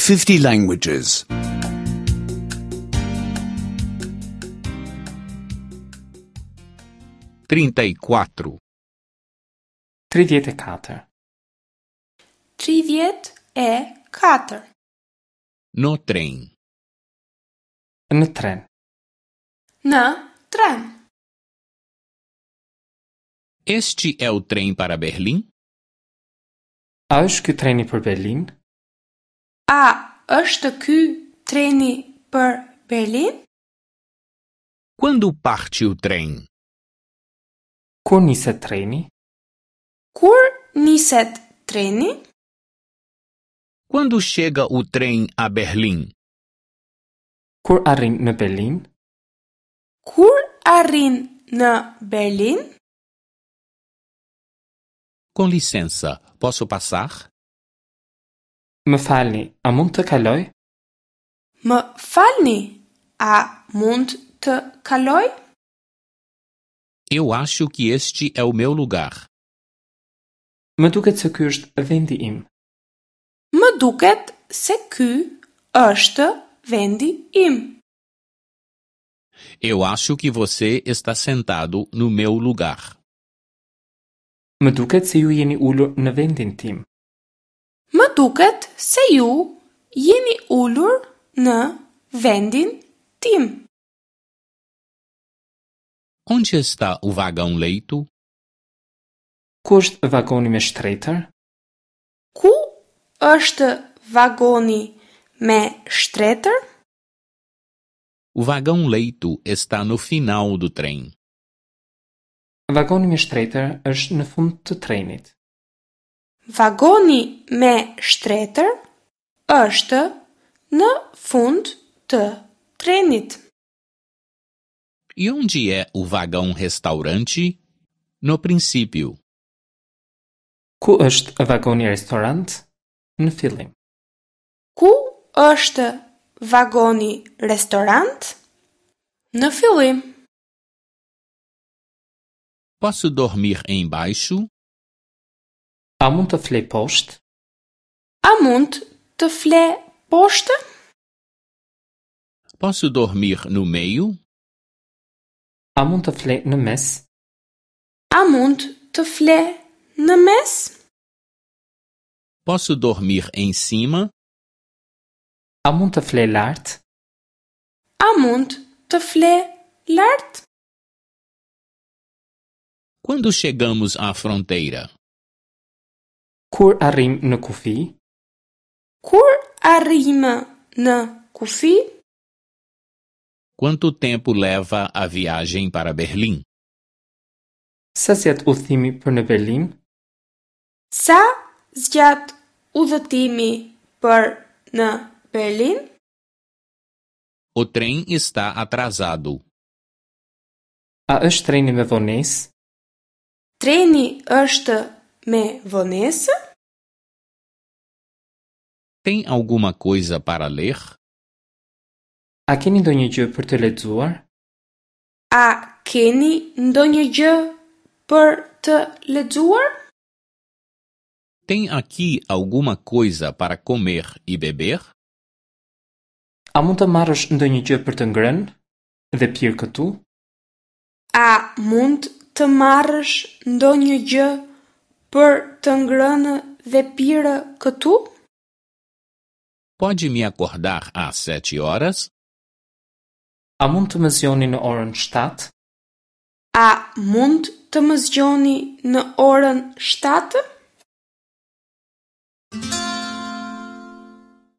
50 languages. 34. 34. 34. No trem. Në tren. Në tren. Este é o trem para Berlim? A është ky treni për Berlin? A është ky treni për Berlin? Quando parte o trem? Kur niset treni? Kur niset treni? Quando chega o trem a Berlim? Kur arrin në Berlin? Kur arrin në Berlin? Com licença, posso passar? Më falni, a mund të kaloj? Më falni, a mund të kaloj? Eu acho que este é o meu lugar. Më duket se ky është vendi im. Më duket se ky është vendi im. Eu acho que você está sentado no meu lugar. Më duket se ju jeni ulur në vendin tim. Më duket se ju jeni ulur në vendin tim. Onde está o vagão leito? Ku është vagoni me shtretër? Ku është vagoni me shtretër? O vagão leito está no final do trem. Vagoni me shtretër është në fund të trenit. Vagoni me shtretër është në fund të trenit. E onde é o vagão restaurante? No princípio. Ku është vagoni restorant? Në fillim. Ku është vagoni restorant? Në fillim. Posso dormir embaixo? A mund të flej poshtë? A mund të fle poshtë? Posso dormir no meio? A mund të flej në mes? A mund të fle në mes? Posso dormir em cima? A mund të flej lart? A mund të fle lart? Quando chegamos à fronteira? Kur arrim në kufi? Kur arrijmë në kufi? Quanto tempo leva a viagem para Berlim? Sa zgjat udhëtimi për në Berlin? Sa zgjat udhëtimi për në Berlin? O trem está atrasado. A është treni me vonesë? Treni është me vonesë? Tem alguma coisa para ler? A keni ndonjë gjë për të lexuar? A keni ndonjë gjë për të lexuar? Tem aqui alguma coisa para comer e beber? A mund të marrësh ndonjë gjë për të ngrënë dhe pirë këtu? A mund të marrësh ndonjë gjë për të ngrënë dhe pirë këtu? Pode me acordar às sete horas? A mund të më zgjoni në orën 7? A mund të më zgjoni në orën 7?